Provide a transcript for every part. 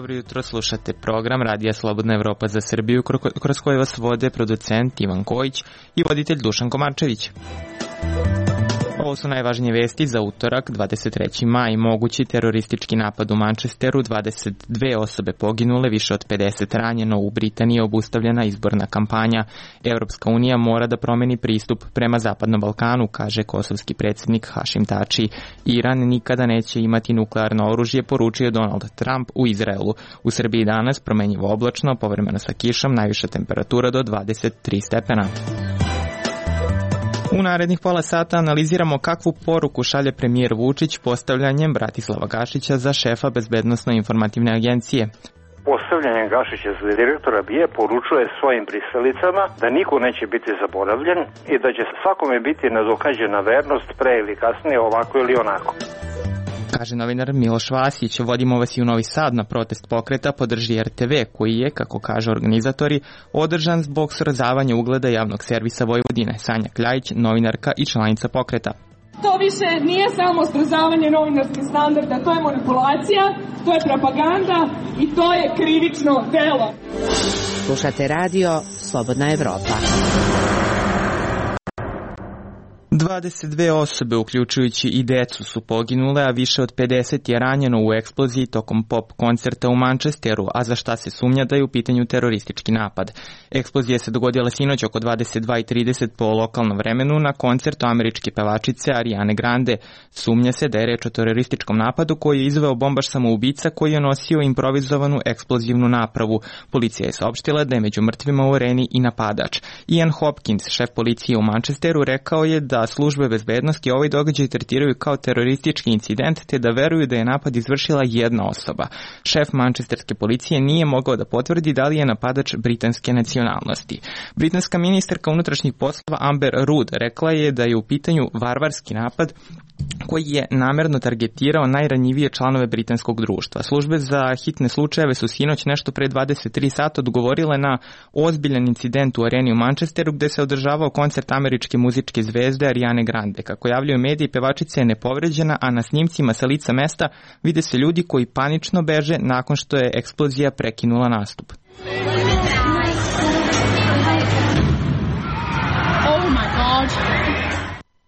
Jutro slušate program Radija Slobodna Evropa za Srbiju, kroz koji vas vode producent Ivan Kojić i voditelj Dušan Komarčević. Ovo su najvažnije vesti za utorak, 23. maj. Mogući teroristički napad u Manchesteru, 22 osobe poginule, više od 50 ranjeno. U Britaniji je obustavljena izborna kampanja. Evropska unija mora da promeni pristup prema Zapadnom Balkanu, kaže kosovski predsjednik Hašim Tači. Iran nikada neće imati nuklearno oružje, poručio Donald Trump u Izraelu. U Srbiji danas promenjivo oblačno, povremeno sa kišom, najviša temperatura do 23 stepena. U narednih pola sata analiziramo kakvu poruku šalje premijer Vučić postavljanjem Bratislava Gašića za šefa Bezbednosno-informativne agencije. Postavljanje Gašića za direktora BIA poručuje svojim pristalicama da niko neće biti zaboravljen i da će svakome biti nadoknađena vernost pre ili kasnije, ovako ili onako. Kaže novinar Miloš Vasić. Vodimo vas i u Novi Sad na protest pokreta Podrži RTV, koji je, kako kaže organizatori, održan zbog srozavanja ugleda javnog servisa Vojvodine. Sanja Kljajić, novinarka i članica pokreta. To više nije samo srozavanje novinarskih standarda, to je manipulacija, to je propaganda i to je krivično delo. Slušate radio Slobodna Evropa. 22 osobe, uključujući i decu, su poginule, a više od 50 je ranjeno u eksploziji tokom pop koncerta u Manchesteru, a za šta se sumnja da je u pitanju teroristički napad. Eksplozija se dogodila sinoć oko 22:30 po lokalnom vremenu na koncertu američke pevačice Ariane Grande. Sumnja se da je reč o terorističkom napadu koji je izveo bombaš samoubica koji je nosio improvizovanu eksplozivnu napravu. Policija je saopštila da je među mrtvima u areni i napadač. Ian Hopkins, šef policije u Manchesteru, rekao je da službe bezbednosti ovaj događaj tretiraju kao teroristički incident, te da veruju da je napad izvršila jedna osoba. Šef mančesterske policije nije mogao da potvrdi da li je napadač britanske nacionalnosti. Britanska ministarka unutrašnjih poslova Amber Rudd rekla je da je u pitanju varvarski napad koji je namerno targetirao najranjivije članove britanskog društva. Službe za hitne slučajeve su sinoć nešto pre 23 sata odgovorile na ozbiljan incident u areni u Manchesteru gde se održavao koncert američke muzičke zvezde Ariane Grande. Kako javljaju mediji, pevačica je nepovređena, a na snimcima sa lica mesta vide se ljudi koji panično beže nakon što je eksplozija prekinula nastup. Oh my God!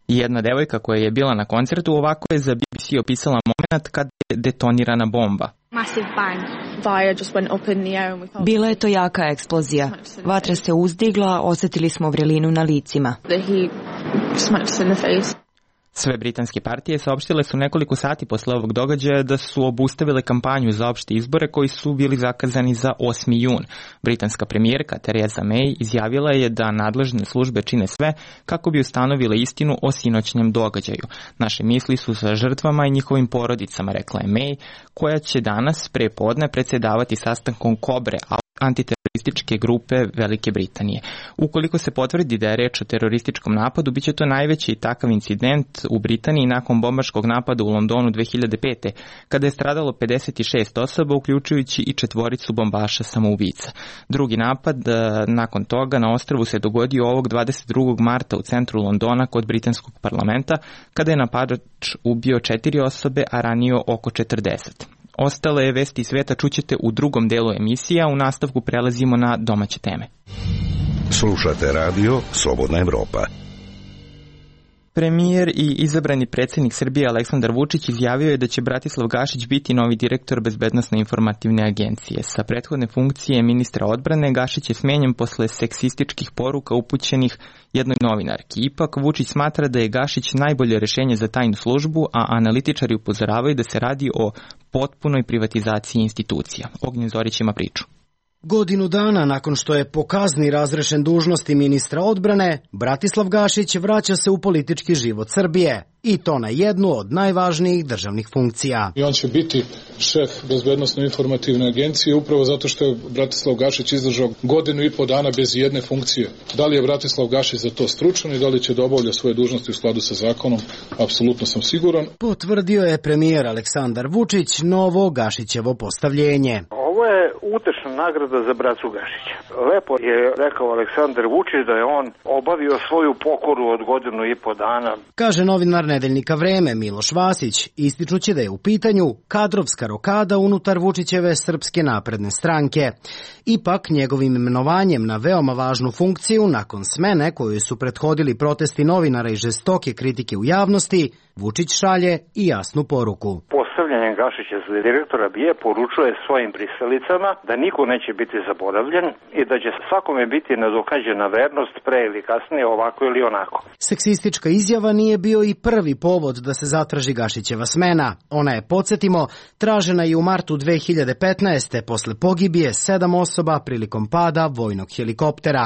Jedna devojka koja je bila na koncertu ovako je za BBC opisala moment kad je detonirana bomba. Bila je to jaka eksplozija. Vatra se uzdigla, osjetili smo vrelinu na licima. Sve britanske partije saopštile su nekoliko sati posle ovog događaja da su obustavile kampanju za opšte izbore koji su bili zakazani za 8. jun. Britanska premijerka Theresa May izjavila je da nadležne službe čine sve kako bi ustanovile istinu o sinoćnjem događaju. Naše misli su sa žrtvama i njihovim porodicama, rekla je May, koja će danas pre podne predsjedavati sastankom Kobre, antiterorističke grupe Velike Britanije. Ukoliko se potvrdi da je reč o terorističkom napadu, biće to najveći takav incident u Britaniji nakon bombaškog napada u Londonu 2005. kada je stradalo 56 osoba, uključujući i 4 bombaša samoubica. Drugi napad nakon toga na ostrvu se dogodio ovog 22. marta u centru Londona kod britanskog parlamenta, kada je napadač ubio 4 osobe, a ranio oko 40. Ostale vesti sveta čućete u drugom delu emisije, a u nastavku prelazimo na domaće teme. Slušate radio Slobodna Evropa. Premijer i izabrani predsjednik Srbije Aleksandar Vučić izjavio je da će Bratislav Gašić biti novi direktor Bezbednosno-informativne agencije. Sa prethodne funkcije ministra odbrane Gašić je smenjen posle seksističkih poruka upućenih jednoj novinarki. Ipak Vučić smatra da je Gašić najbolje rešenje za tajnu službu, a analitičari upozoravaju da se radi o potpunoj privatizaciji institucija. Ognjen Zorić ima priču. Godinu dana nakon što je po kazni razrešen dužnosti ministra odbrane, Bratislav Gašić vraća se u politički život Srbije. I to na jednu od najvažnijih državnih funkcija. I on će biti šef Bezbednosno-informativne agencije upravo zato što je Bratislav Gašić izdržao 1,5 dana bez jedne funkcije. Da li je Bratislav Gašić za to stručan i da li će da obavlja svoje dužnosti u skladu sa zakonom, apsolutno sam siguran. Potvrdio je premijer Aleksandar Vučić novo Gašićevo postavljenje. Ovo je utešna nagrada za bracu Gašića. Lepo je rekao Aleksandar Vučić da je on obavio svoju pokoru od 1,5 dana. Kaže novinar nedeljnika Vreme Miloš Vasić, ističući da je u pitanju kadrovska rokada unutar Vučićeve Srpske napredne stranke. Ipak, njegovim imenovanjem na veoma važnu funkciju, nakon smene koju su prethodili protesti novinara i žestoke kritike u javnosti, Vučić šalje i jasnu poruku. Postavljanjem Gašića za direktora BIA poručuje svojim pristalicama da niko neće biti zaboravljen i da će svakome biti nadoknađena vernost pre ili kasnije, ovako ili onako. Seksistička izjava nije bio i prvi povod da se zatraži Gašićeva smena. Ona je, podsjetimo, tražena i u martu 2015. posle pogibije 7 osoba prilikom pada vojnog helikoptera.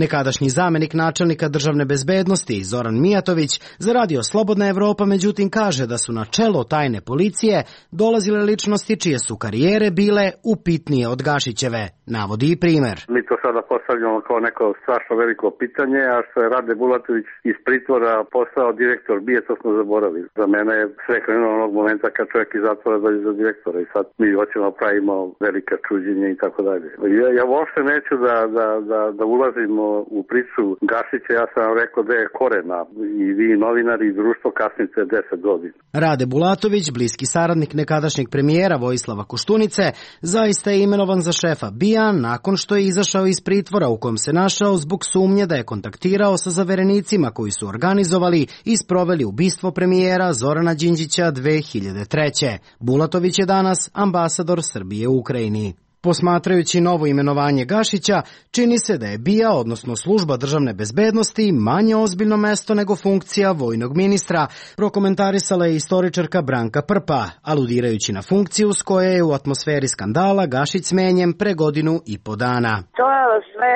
Nekadašnji zamenik načelnika državne bezbednosti Zoran Mijatović za Radio Slobodna Evropa međutim kaže da su na čelo tajne policije dolazile ličnosti čije su karijere bile upitnije od Gašićeve. Navodi i primer. Mi to sada postavljamo kao neko strašno veliko pitanje, a što je Rade Bulatović iz pritvora postao direktor BIA, to smo zaboravili. Za mene je sve krenulo onog momenta kad čovjek iz zatvora dođe za direktora i sad mi hoćemo pravimo velika čuđenja i tako dalje. Ja uopšte neću da ulazimo u priču Gašića, ja sam vam rekao da je korena i vi novinari i društvo kasnite 10 godina. Rade Bulatović, bliski saradnik nekadašnjeg premijera Vojislava Koštunice, zaista je imenovan za šefa BIA nakon što je izašao iz pritvora u kojem se našao zbog sumnje da je kontaktirao sa zaverenicima koji su organizovali i sproveli ubistvo premijera Zorana Đinđića 2003. Bulatović je danas ambasador Srbije u Ukrajini. Posmatrajući novo imenovanje Gašića, čini se da je BIA, odnosno služba državne bezbednosti, manje ozbiljno mesto nego funkcija vojnog ministra, prokomentarisala je istoričarka Branka Prpa, aludirajući na funkciju s koje je u atmosferi skandala Gašić smenjen pre 1,5 dana. To sve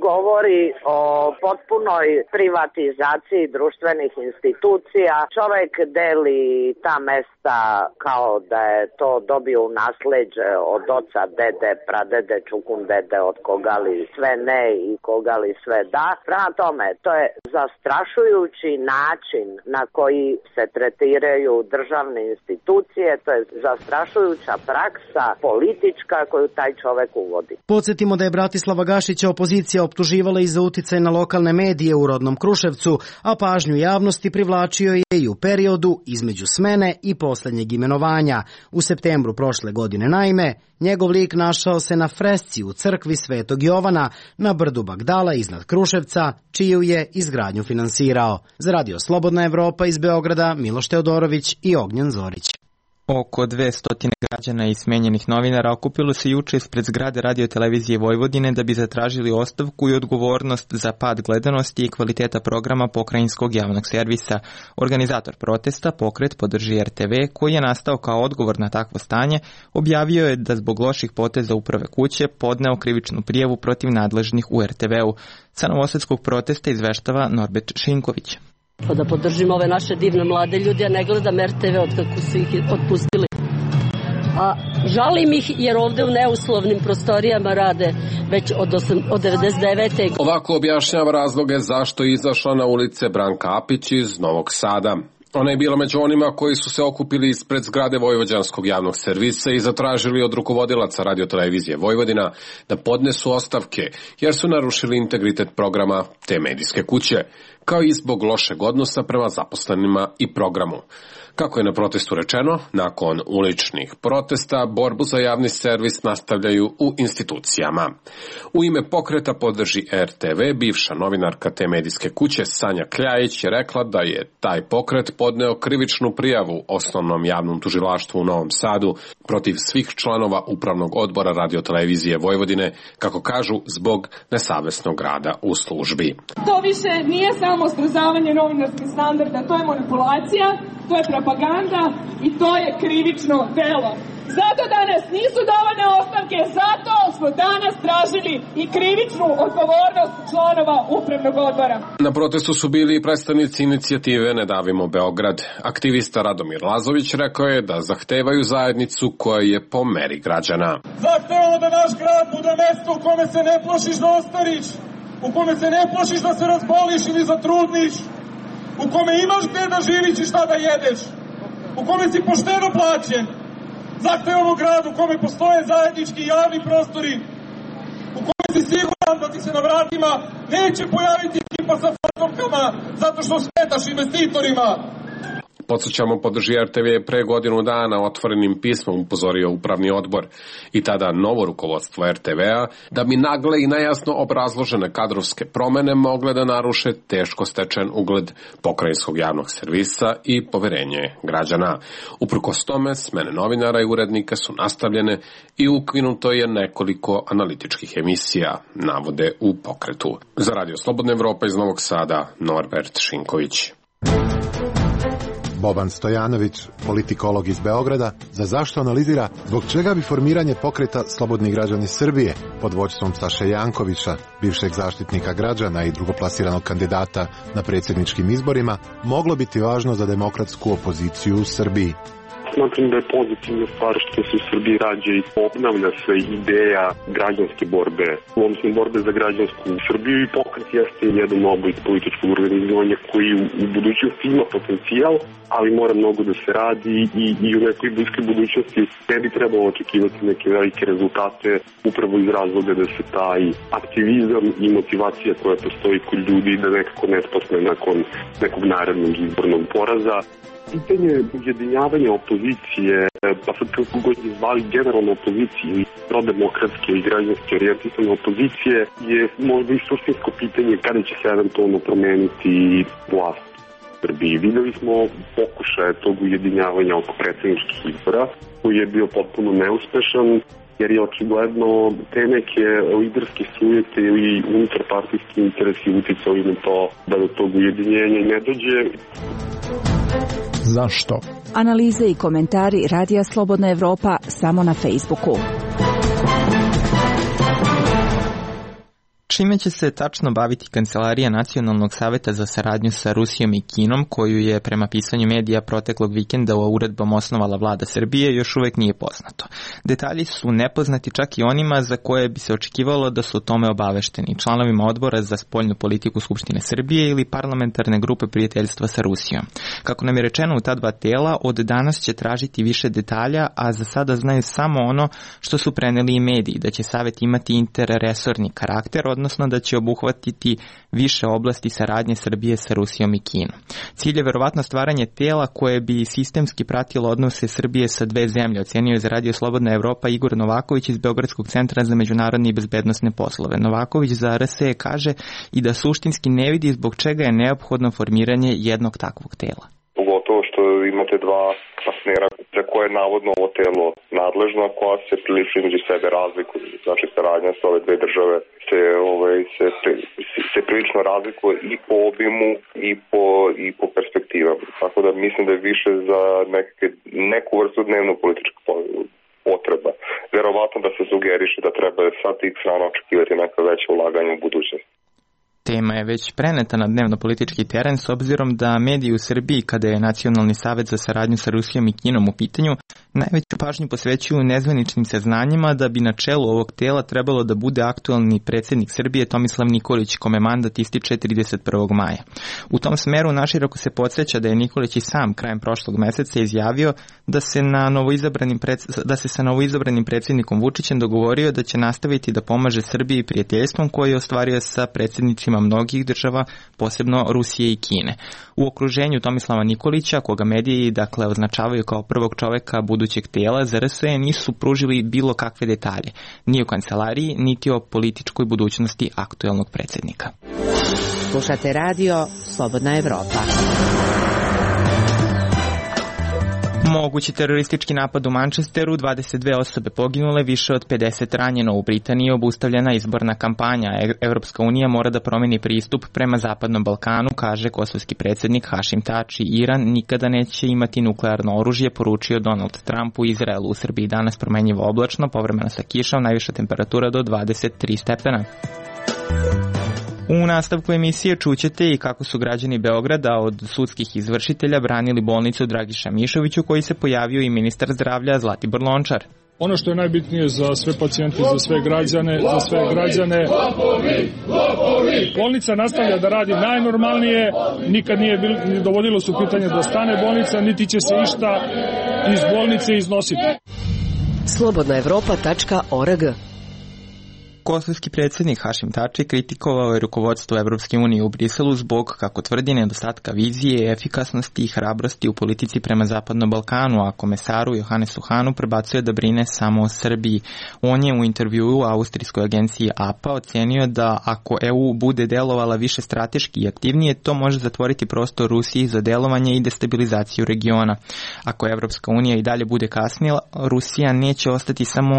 govori o potpunoj privatizaciji društvenih institucija. Čovek deli ta mesta kao da je to dobio u nasleđe od oca, dede, pradede, čukundede, od koga li sve ne i koga li sve da. Prema tome, to je zastrašujući način na koji se tretiraju državne institucije, to je zastrašujuća praksa politička koju taj čovek uvodi. Podsjetimo da je Bratislava Gašića opozicija optuživala i za uticaj na lokalne medije u rodnom Kruševcu, a pažnju javnosti privlačio je i u periodu između smene i poslednjeg imenovanja. U septembru prošle godine, naime, njegov lik našao se na fresci u crkvi Svetog Jovana na brdu Bagdala iznad Kruševca, čiju je izgradnju finansirao. Za Radio Slobodna Evropa iz Beograda, Miloš Teodorović i Ognjen Zorić. Oko 200 građana i smenjenih novinara okupilo se juče ispred zgrade Radio-televizije Vojvodine da bi zatražili ostavku i odgovornost za pad gledanosti i kvaliteta programa pokrajinskog javnog servisa. Organizator protesta, pokret Podrži RTV, koji je nastao kao odgovor na takvo stanje, objavio je da zbog loših poteza uprave kuće podneo krivičnu prijavu protiv nadležnih u RTV-u. Sa novosadskog protesta izveštava Norbert Šinković. Da podržimo ove naše divne mlade ljude, ja ne gledam RTV od kako su ih otpustili. A žalim ih jer ovde u neuslovnim prostorijama rade već od 99. Ovako objašnjava razloge zašto je izašla na ulice Branka Apić iz Novog Sada. Ona je bila među onima koji su se okupili ispred zgrade Vojvođanskog javnog servisa i zatražili od rukovodilaca Radio-televizije Vojvodina da podnesu ostavke jer su narušili integritet programa te medijske kuće, kao i zbog lošeg odnosa prema zaposlenima i programu. Kako je na protestu rečeno, nakon uličnih protesta, borbu za javni servis nastavljaju u institucijama. U ime pokreta Podrži RTV, bivša novinarka te medijske kuće Sanja Kljajić je rekla da je taj pokret podneo krivičnu prijavu Osnovnom javnom tužilaštvu u Novom Sadu protiv svih članova Upravnog odbora Radio-televizije Vojvodine, kako kažu, zbog nesavesnog rada u službi. To više nije samo srozavanje novinarskih standarda, to je manipulacija, to je propaganda i to je krivično delo. Zato danas nisu davane ostavke, zato smo danas tražili i krivičnu odgovornost članova Upravnog odbora. Na protestu su bili i predstavnici inicijative Ne davimo Beograd. Aktivista Radomir Lazović rekao je da zahtevaju zajednicu koja je po meri građana. Zahtevamo da naš grad bude mesto u kome se ne plašiš da ostariš, u kome se ne plašiš da se razboliš ili zatrudniš, u kome imaš gde da živiš i šta da jedeš, u kome si pošteno plaćen, Zahtevamo grad u kome postoje zajednički javni prostori, u kome si siguran da ti se na vratima neće pojaviti ekipa sa fantomkama zato što smetaš investitorima. Podsjećamo, podrži RTV je pre godinu dana otvorenim pismom upozorio upravni odbor i tada novo rukovodstvo RTV-a da bi nagle i nejasno obrazložene kadrovske promene mogle da naruše teško stečen ugled pokrajinskog javnog servisa i poverenje građana. Uprkos tome, smene novinara i urednika su nastavljene i ukinuto je nekoliko analitičkih emisija, navode u Pokretu. Za Radio Slobodna Evropa iz Novog Sada, Norbert Šinković. Boban Stojanović, politikolog iz Beograda, za zašto analizira zbog čega bi formiranje pokreta Slobodni građani Srbije pod vođstvom Saše Jankovića, bivšeg zaštitnika građana i drugoplasiranog kandidata na predsjedničkim izborima, moglo biti važno za demokratsku opoziciju u Srbiji. Smatram da je pozitivna stvar što se u Srbiji rađa i obnavlja se ideja građanske borbe, odnosno borbe za građansku Srbiju, i pokret jeste jedan oblik političkog organizovanja koji u budućnosti ima potencijal, ali mora mnogo da se radi i u nekoj bliskoj budućnosti ne bi trebalo očekivati neke velike rezultate upravo iz razloga da se taj aktivizam i motivacija koja postoji kod ljudi da nekako ne spasne nakon nekog narednog izbornog poraza. Pitanje ujedinjavanja opozicije, pa sad kako god je zvali generalno opozicije i prodemokratske i građanske orijentisane opozicije, je možda i suštinsko pitanje kada će se eventualno promeniti vlast u Srbiji. Videli smo pokušaje tog ujedinjavanja oko predsjedničkih izbora, koji je bio potpuno neuspešan, jer je očigledno te neke liderske sujete ili unutarpartijski interesi uticali na to da do tog ujedinjenja ne dođe. Zašto? Analize i komentari Radija Slobodna Evropa samo na Facebooku. Čime će se tačno baviti Kancelarija Nacionalnog saveta za saradnju sa Rusijom i Kinom, koju je prema pisanju medija proteklog vikenda uredbom osnovala vlada Srbije, još uvek nije poznato. Detalji su nepoznati čak i onima za koje bi se očekivalo da su o tome obavešteni, članovima odbora za spoljnu politiku Skupštine Srbije ili parlamentarne grupe prijateljstva sa Rusijom. Kako nam je rečeno u ta dva tela, od danas će tražiti više detalja, a za sada znaju samo ono što su preneli i mediji, da će savet imati interresorni karakter, odnosno da će obuhvatiti više oblasti saradnje Srbije sa Rusijom i Kinom. Cilj je verovatno stvaranje tela koje bi sistemski pratilo odnose Srbije sa dve zemlje, ocenio je za Radio Slobodna Evropa Igor Novaković iz Beogradskog centra za međunarodne i bezbednosne poslove. Novaković za RSE kaže i da suštinski ne vidi zbog čega je neophodno formiranje jednog takvog tela. Pogotovo što imate dva partnera za koje je navodno ovo telo nadležno, koja se prilično između sebe razlikuje. Znači, saradnja sa ove dve države se prilično razlikuje i po obimu i po perspektivama. Tako da mislim da je više za neku vrstu dnevno političku potreba. Verovatno da se sugeriše da treba sa tih strana očekivati neka veća ulaganja u budućnosti. Tema je već preneta na dnevno-politički teren s obzirom da mediji u Srbiji, kada je Nacionalni savet za saradnju sa Rusijom i Kinom u pitanju, najveću pažnju posvećuju nezvaničnim saznanjima da bi na čelu ovog tela trebalo da bude aktualni predsjednik Srbije Tomislav Nikolić, kome mandat ističe 31. maja. U tom smeru naširoko se podsjeća da je Nikolić i sam krajem prošlog meseca izjavio da se sa novoizabranim predsjednikom Vučićem dogovorio da će nastaviti da pomaže Srbiji prijateljstvom koje je ostvario sa predsjednicima mnogih država, posebno Rusije i Kine. U okruženju Tomislava Nikolića, koga mediji označavaju kao prvog čoveka budućeg tela, za RSE nisu pružili bilo kakve detalje, ni o kancelariji, niti o političkoj budućnosti aktuelnog predsjednika. Slušate radio Slobodna Evropa. Mogući teroristički napad u Manchesteru, 22 osobe poginule, više od 50 ranjeno. U Britaniji obustavljena izborna kampanja. Evropska unija mora da promeni pristup prema Zapadnom Balkanu, kaže kosovski predsjednik Hašim Tači. Iran nikada neće imati nuklearno oružje, poručio Donald Trump u Izraelu. U Srbiji danas promenjivo oblačno, povremeno sa kišom, najviša temperatura do 23 stepena. U nastavku emisije čućete i kako su građani Beograda od sudskih izvršitelja branili bolnicu Dragiša Mišoviću, koji se pojavio i ministar zdravlja Zlatibor Lončar. Ono što je najbitnije za sve pacijente, za sve građane, bolnica nastavlja da radi najnormalnije, nikad nije dovodilo su pitanje da stane bolnica, niti će se išta iz bolnice iznositi. slobodnaevropa.org. Kosovski predsjednik Hašim Tači kritikovao je rukovodstvo Evropske unije u Briselu zbog, kako tvrdi, nedostatka vizije, efikasnosti i hrabrosti u politici prema Zapadnom Balkanu, a komesaru Johannesu Hanu prebacuje da brine samo o Srbiji. On je u intervjuu austrijskoj agenciji APA ocenio da ako EU bude delovala više strateški i aktivnije, to može zatvoriti prostor Rusiji za delovanje i destabilizaciju regiona. Ako Evropska unija i dalje bude kasnila, Rusija neće ostati samo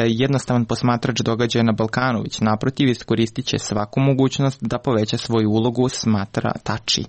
jednostavan posmatrač događaja na Balkanu, već naprotiv iskoristit će svaku mogućnost da poveća svoju ulogu, smatra Tači.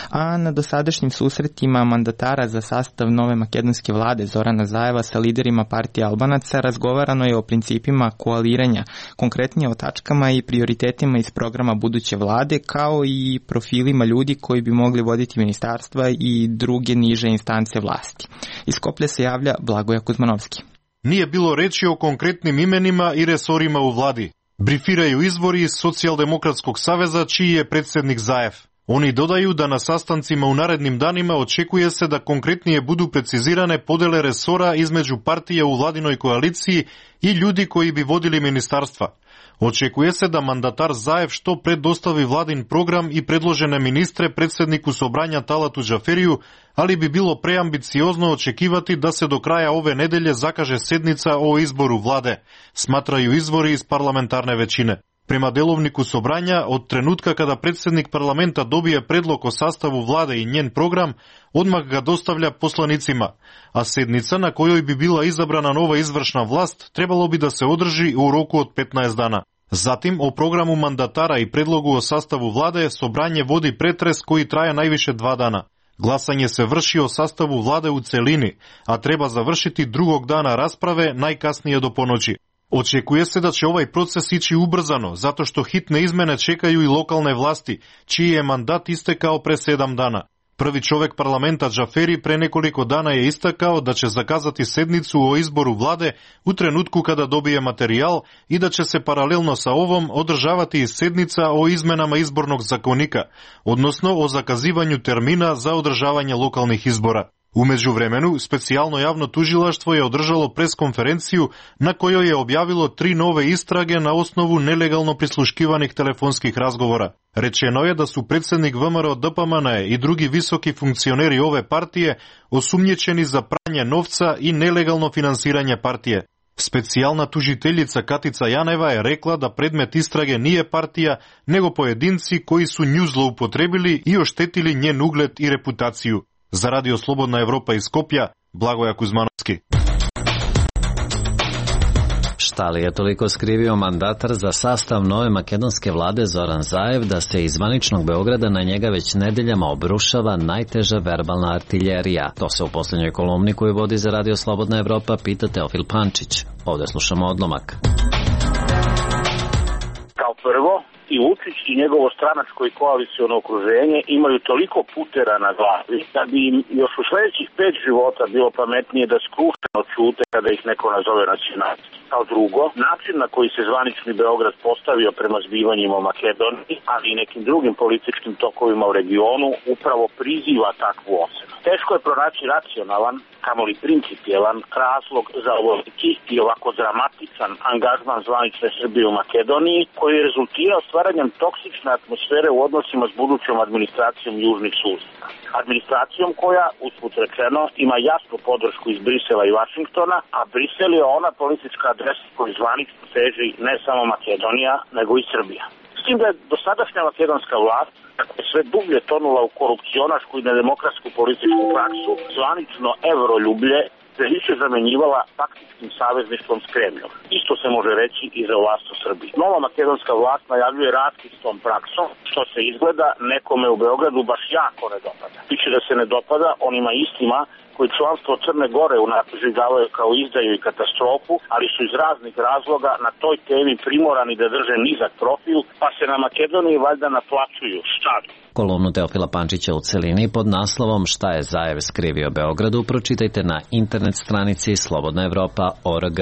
A na dosadašnjim susretima mandatara za sastav nove makedonske vlade Zorana Zajeva sa liderima partije Albanaca razgovarano je o principima koaliranja, konkretnije o tačkama i prioritetima iz programa buduće vlade, kao i profilima ljudi koji bi mogli voditi ministarstva i druge niže instance vlasti. Iz Skoplja se javlja Blagoja Kuzmanovski. Nije bilo reči o konkretnim imenima i resorima u vladi. Brifiraju izvori iz Socijaldemokratskog saveza, čiji je predsjednik Zajev. Oni dodaju da na sastancima u narednim danima očekuje se da konkretnije budu precizirane podele resora između partija u vladinoj koaliciji i ljudi koji bi vodili ministarstva. Očekuje se da mandatar Zajev što pre dostavi vladin program i predložene ministre predsjedniku Sobranja Talatu Džaferiju, ali bi bilo preambiciozno očekivati da se do kraja ove nedelje zakaže sednica o izboru vlade, smatraju izvori iz parlamentarne većine. Prema delovniku Sobranja, od trenutka kada predsjednik parlamenta dobije predlog o sastavu vlade i njen program, odmah ga dostavlja poslanicima, a sednica na kojoj bi bila izabrana nova izvršna vlast trebalo bi da se održi u roku od 15 dana. Zatim, o programu mandatara i predlogu o sastavu vlade Sobranje vodi pretres koji traje najviše 2 dana. Glasanje se vrši o sastavu vlade u celini, a treba završiti drugog dana rasprave, najkasnije do ponoći. Očekuje se da će ovaj proces ići ubrzano, zato što hitne izmene čekaju i lokalne vlasti, čiji je mandat istekao pre 7 dana. Prvi čovek parlamenta Džaferi pre nekoliko dana je istakao da će zakazati sednicu o izboru vlade u trenutku kada dobije materijal i da će se paralelno sa ovom održavati i sednica o izmenama izbornog zakonika, odnosno o zakazivanju termina za održavanje lokalnih izbora. U međuvremenu, specijalno javno tužilaštvo je održalo preskonferenciju na kojoj je objavilo 3 nove istrage na osnovu nelegalno prisluškivanih telefonskih razgovora. Rečeno je da su predsjednik VMRO DPMNE i drugi visoki funkcioneri ove partije osumnjičeni za pranje novca i nelegalno finansiranje partije. Specijalna tužiteljica Katica Janeva je rekla da predmet istrage nije partija, nego pojedinci koji su nju zloupotrebili i oštetili njen ugled i reputaciju. Za Radio Slobodna Evropa iz Skopja, Blagoja Kuzmanovski. Šta li je toliko skrivio mandatar za sastav nove makedonske vlade Zoran Zajev da se iz zvaničnog Beograda na njega već nedeljama obrušava najteža verbalna artiljerija? To se u posljednjoj kolumni koju vodi za Radio Slobodna Evropa pita Teofil Pančić. Ovdje slušamo odlomak. Kao prvo, i Vučić i njegovo stranačko i koaliciono okruženje imaju toliko putera na glavi da bi im još u sljedećih 5 života bilo pametnije da skrušeno ćute kada ih neko nazove nacionalisti. Kao drugo, način na koji se zvanični Beograd postavio prema zbivanjima u Makedoniji, ali i nekim drugim političkim tokovima u regionu, upravo priziva takvu ocenu. Teško je pronaći racionalan, kamoli principijelan razlog za ovoliki i ovako dramatičan angažman zvanične Srbije u Makedoniji, koji je rezultirao stvaranjem toksične atmosfere u odnosima s budućom administracijom južnih susjeda. Administracijom koja, usput rečeno, ima jasnu podršku iz Brisela i Vašingtona, a Brisel je ona politička adresa koju zvanično teži ne samo Makedonija, nego i Srbija. S tim da je dosadašnja makedonska vlast, kako je sve dublje tonula u korupcionašku i nedemokratsku političku praksu, zvanično evroljublje se više zamenjivala taktičkim savezništvom s Kremljom. Isto se može reći i za vlast u Srbiji. Nova makedonska vlast najavljuje raskid s tom praksom, što se izgleda nekome u Beogradu baš jako ne dopada. Piše da se ne dopada onima istima koji članstvo Crne Gore doživljavaju kao izdaju i katastrofu, ali su iz raznih razloga na toj temi primorani da drže nizak profil, pa se na Makedoniji valjda naplaćuju. Šta? Kolumnu Teofila Pančića u celini pod naslovom Šta je Zajev skrivio Beogradu pročitajte na internet stranici slobodnaevropa.org.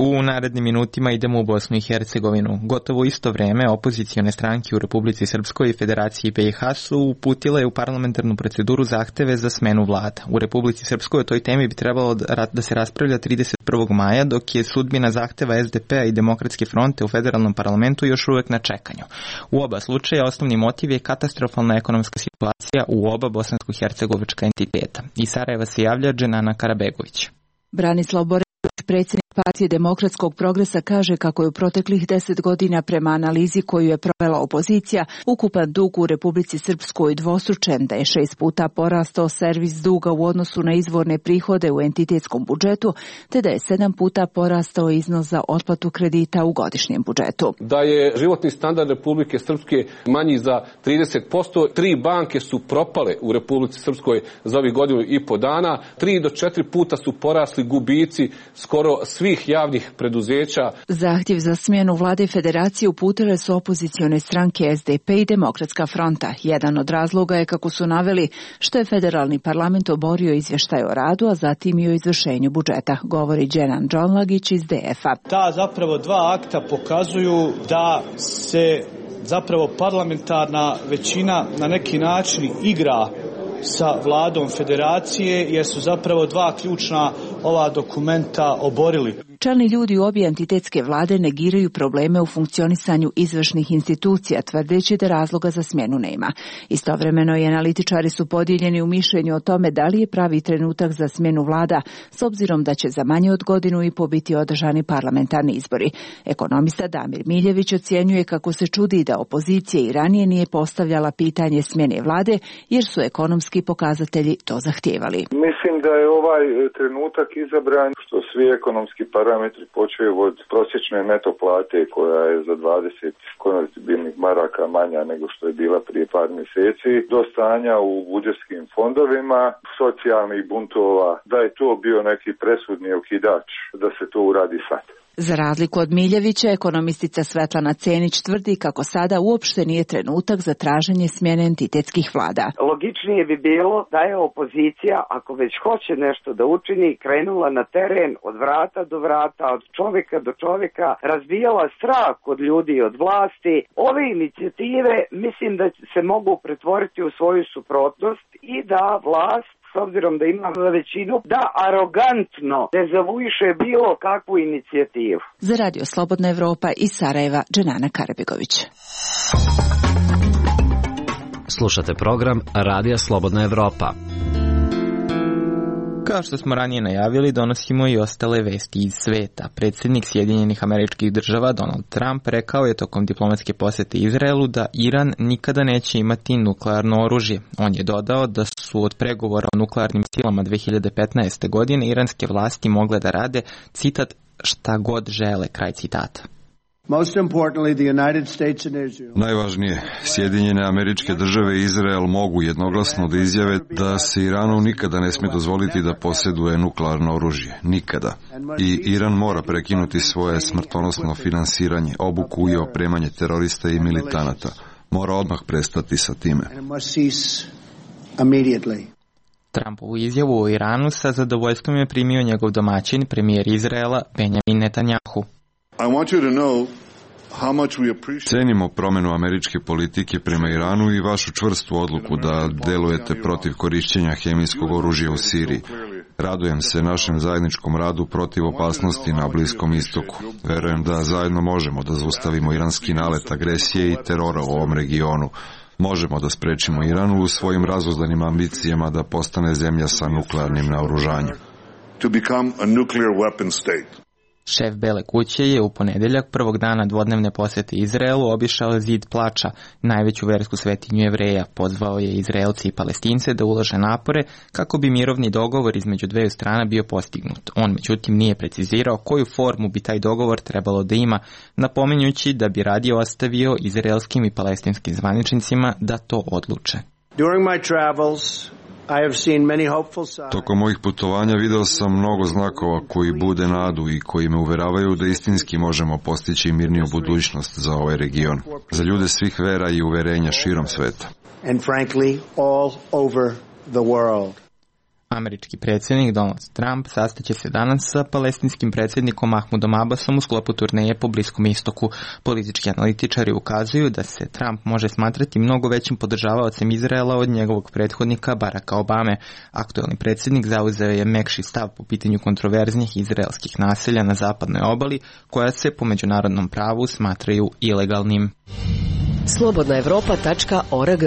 U narednim minutima idemo u Bosnu i Hercegovinu. Gotovo isto vreme opozicione stranke u Republici Srpskoj i Federaciji BiH su uputile u parlamentarnu proceduru zahteve za smenu vlada. U Republici Srpskoj o toj temi bi trebalo da se raspravlja 31. maja, dok je sudbina zahteva SDP-a i Demokratske fronte u federalnom parlamentu još uvek na čekanju. U oba slučaja osnovni motiv je katastrofalna ekonomska situacija u oba bosansko-hercegovička entiteta. Iz Sarajeva se javlja Dženana Karabegović. Branislav Borević, predsjednik Partije demokratskog progresa, kaže kako je u proteklih 10 godina prema analizi koju je provela opozicija ukupan dug u Republici Srpskoj dvostručen, da je 6 puta porastao servis duga u odnosu na izvorne prihode u entitetskom budžetu, te da je 7 puta porastao iznos za otplatu kredita u godišnjem budžetu. Da je životni standard Republike Srpske manji za 30%, 3 banke su propale u Republici Srpskoj za ovih godinu i po dana, 3 do 4 puta su porasli gubici skoro svih javnih preduzeća. Zahtjev za smjenu vlade federacije uputile su opozicione stranke SDP i Demokratska fronta. Jedan od razloga je, kako su naveli, što je federalni parlament oborio izvještaj o radu, a zatim i o izvršenju budžeta, govori Dženan Džonlagić iz DF-a. Ta zapravo dva akta pokazuju da se zapravo parlamentarna većina na neki način igra sa vladom federacije, jer su zapravo dva ključna ova dokumenta oborili. Čelni ljudi u obje entitetske vlade negiraju probleme u funkcionisanju izvršnih institucija, tvrdeći da razloga za smjenu nema. Istovremeno i analitičari su podijeljeni u mišljenju o tome da li je pravi trenutak za smjenu vlada, s obzirom da će za manje od godinu i po biti održani parlamentarni izbori. Ekonomista Damir Miljević ocjenjuje kako se čudi da opozicija i ranije nije postavljala pitanje smjene vlade, jer su ekonomski pokazatelji to zahtijevali. Mislim da je ovaj trenutak izabran što svi ekonomski parametri počeju od prosječne neto plate koja je za 20 konvertibilnih maraka manja nego što je bila prije par mjeseci, do stanja u budžetskim fondovima, socijalnih buntova, da je to bio neki presudni okidač da se to uradi sad. Za razliku od Miljevića, ekonomistica Svetlana Cenić tvrdi kako sada uopšte nije trenutak za traženje smjene entitetskih vlada. Logičnije bi bilo da je opozicija, ako već hoće nešto da učini, krenula na teren od vrata do vrata, od čovjeka do čovjeka, razbijala strah od ljudi i od vlasti. Ove inicijative mislim da se mogu pretvoriti u svoju suprotnost i da vlast, s obzirom da ima većinu, da arogantno dezavuiše bilo kakvu inicijativu. Za Radio Slobodna Evropa iz Sarajeva, Dženana Karabegović. Slušate program Radija Slobodna Evropa. Kao što smo ranije najavili, donosimo i ostale vesti iz sveta. Predsjednik Sjedinjenih Američkih Država Donald Trump rekao je tokom diplomatske posjete Izraelu da Iran nikada neće imati nuklearno oružje. On je dodao da su od pregovora o nuklearnim silama 2015. godine iranske vlasti mogle da rade, citat, šta god žele, kraj citata. Najvažnije, Sjedinjene Američke Države i Izrael mogu jednoglasno da izjave da se Iranu nikada ne smije dozvoliti da posjeduje nuklearno oružje. Nikada. I Iran mora prekinuti svoje smrtonosno finansiranje, obuku i opremanje terorista i militanata. Mora odmah prestati sa time. Trumpovu izjavu o Iranu sa zadovoljstvom je primio njegov domaćin, premijer Izraela Benjamin Netanjahu. Cenimo promjenu američke politike prema Iranu i vašu čvrstu odluku da delujete protiv korišćenja hemijskog oružja u Siriji. Radujem se našem zajedničkom radu protiv opasnosti na Bliskom istoku. Verujem da zajedno možemo da zaustavimo iranski nalet agresije i terora u ovom regionu. Možemo da sprečimo Iranu u svojim razuzdanim ambicijama da postane zemlja sa nuklearnim naoružanjem. Šef Bele kuće je u ponedeljak, prvog dana dvodnevne posjete Izraelu, obišao Zid plača, najveću versku svetinju Jevreja. Pozvao je Izraelci i Palestince da ulože napore kako bi mirovni dogovor između dveju strana bio postignut. On međutim nije precizirao koju formu bi taj dogovor trebalo da ima, napominjući da bi radije ostavio izraelskim i palestinskim zvaničnicima da to odluče. Tokom mojih putovanja video sam mnogo znakova koji bude nadu i koji me uveravaju da istinski možemo postići mirniju budućnost za ovaj region, za ljude svih vera i uverenja širom sveta. Američki predsjednik Donald Trump sastaće se danas sa palestinskim predsjednikom Mahmudom Abbasom u sklopu turneje po Bliskom istoku. Politički analitičari ukazuju da se Trump može smatrati mnogo većim podržavaocem Izraela od njegovog prethodnika Baracka Obame. Aktuelni predsjednik zauzeo je mekši stav po pitanju kontroverznih izraelskih naselja na zapadnoj obali, koja se po međunarodnom pravu smatraju ilegalnim. Slobodnaevropa.org.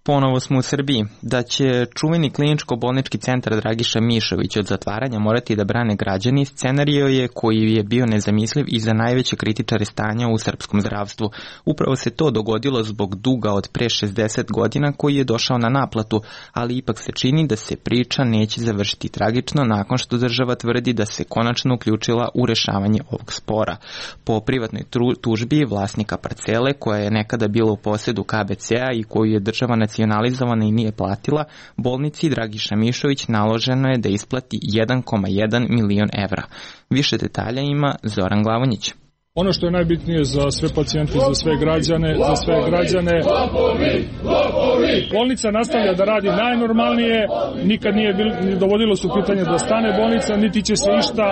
Ponovo smo u Srbiji. Da će čuveni kliničko-bolnički centar Dragiša Mišović od zatvaranja morati da brane građani, scenario je koji je bio nezamisliv i za najveće kritičare stanja u srpskom zdravstvu. Upravo se to dogodilo zbog duga od pre 60 godina koji je došao na naplatu, ali ipak se čini da se priča neće završiti tragično nakon što država tvrdi da se konačno uključila u rešavanje ovog spora. Po privatnoj tužbi vlasnika parcele, koja je nekada bila u posedu KBC-a i koju je država nacionalizovana i nije platila, bolnici Dragiša Mišović naloženo je da isplati 1,1 milion evra. Više detalja ima Zoran Glavonjić. Ono što je najbitnije za sve pacijente, za sve građane, bolnica nastavlja da radi najnormalnije, nikad nije dovodilo su pitanje da stane bolnica, niti će se išta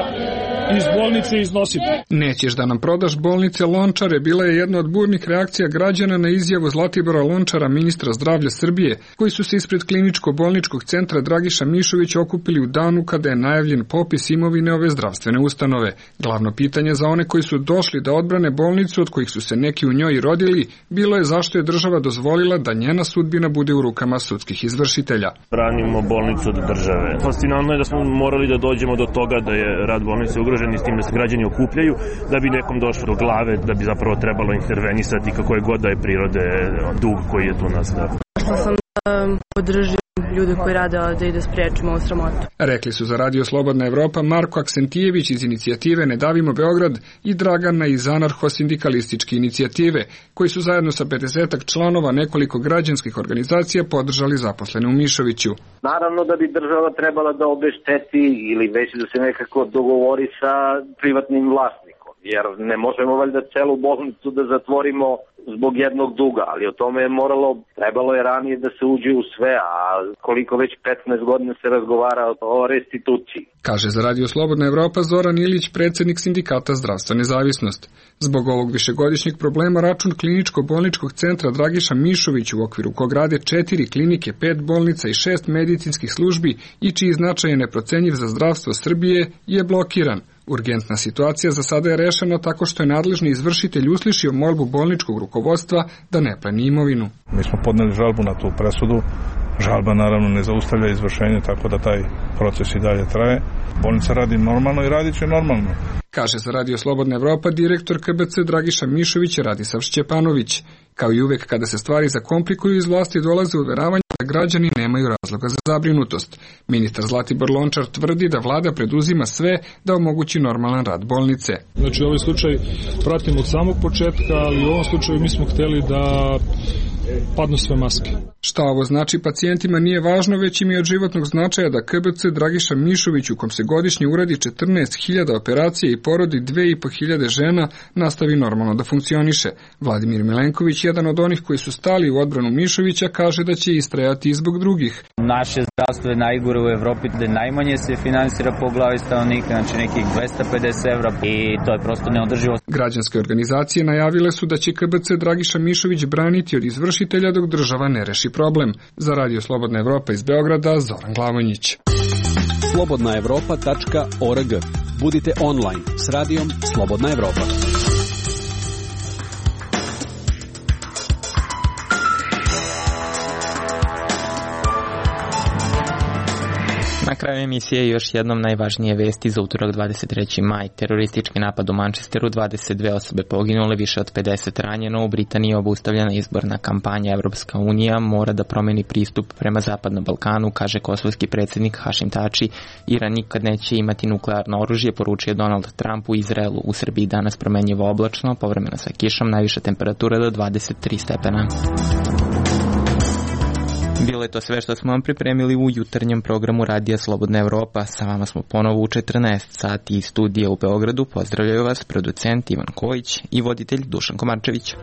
iz bolnice iznositi. Nećeš da nam prodaš bolnice Lončare bila je jedna od burnih reakcija građana na izjavu Zlatibora Lončara, ministra zdravlja Srbije, koji su se ispred kliničko-bolničkog centra Dragiša Mišović okupili u danu kada je najavljen popis imovine ove zdravstvene ustanove. Glavno pitanje za one koji su došli da odbrane bolnicu, od kojih su se neki u njoj rodili, bilo je zašto je država dozvolila da njena sudbina bude u rukama sudskih izvršitelja. Branimo bolnicu od države. Fascinantno je da smo morali da dođemo do toga da je rad bolnice ugrožen i s tim da se građani okupljaju, da bi nekom došlo do glave, da bi zapravo trebalo intervenisati kako je god da je prirode dug koji je tu nastao. Što sam podržio ljude koji rade da ide spriječimo ovu sramotu. Rekli su za Radio Slobodna Evropa Marko Aksentijević iz inicijative Ne davimo Beograd i Dragana iz anarcho-sindikalističke inicijative, koji su zajedno sa 50 članova nekoliko građanskih organizacija podržali zaposlene u Mišoviću. Naravno da bi država trebala da obešteti ili već da se nekako dogovori sa privatnim vlasnikom, jer ne možemo valjda celu bolnicu da zatvorimo zbog jednog duga, ali o tome je trebalo je ranije da se uđe u sve, a koliko već 15 godina se razgovara o restituciji. Kaže za Radio Slobodna Evropa Zoran Ilić, predsjednik sindikata Zdravstva nezavisnost. Zbog ovog višegodišnjeg problema račun kliničko-bolničkog centra Dragiša Mišović, u okviru kog rade 4 klinike, 5 bolnica i 6 medicinskih službi i čiji značaj je neprocenjiv za zdravstvo Srbije, je blokiran. Urgentna situacija za sada je rešena tako što je nadležni izvršitelj uslišio molbu bolničkog rukovodstva da ne pleni imovinu. Mi smo podneli žalbu na tu presudu. Žalba naravno ne zaustavlja izvršenje, tako da taj proces i dalje traje. Bolnica radi normalno i radit će normalno. Kaže za Radio Slobodna Evropa direktor KBC Dragiša Mišović Radisav Šćepanović. Kao i uvek kada se stvari zakomplikuju, iz vlasti dolaze uveravanja da građani nemaju razloga za zabrinutost. Ministar Zlatibor Lončar tvrdi da vlada preduzima sve da omogući normalan rad bolnice. Znači ovaj slučaj pratimo od samog početka, ali u ovom slučaju mi smo hteli da padnu sve maske. Šta ovo znači pacijentima nije važno, već im je od životnog značaja da KBC Dragiša Mišović, u kom se godišnje uradi 14.000 operacija i porodi 2.500 žena, nastavi normalno da funkcioniše. Vladimir Milenković, jedan od onih koji su stali u odbranu Mišovića, kaže da će istrajati i zbog drugih. Naše zdravstvo je najgore u Evropi, da najmanje se finansira po glavi stanovnika, znači nekih 250 evra, i to je prosto neodrživo. Građanske organizacije najavile su da će KBC Dragiša Mišović braniti od izvršitelja dok država ne reši problem. Za Radio Slobodna Evropa iz Beograda, Zoran Glavonjić. Slobodnaevropa.org. Budite online s radijom Slobodna Evropa. Na kraju emisije još jednom najvažnije vesti za utorak 23. maj. Teroristički napad u Manchesteru, 22 osobe poginule, više od 50 ranjeno. U Britaniji je obustavljena izborna kampanja. Evropska unija mora da promeni pristup prema Zapadnom Balkanu, kaže kosovski predsjednik Hašim Tači. Iran nikad neće imati nuklearno oružje, poručio Donald Trump u Izraelu. U Srbiji danas promenjivo oblačno, povremeno sa kišom, najviša temperatura do 23 stepena. Bilo je to sve što smo vam pripremili u jutarnjem programu Radija Slobodna Evropa. Sa vama smo ponovo u 14 sati iz studija u Beogradu. Pozdravljaju vas producent Ivan Kojić i voditelj Dušan Komarčević.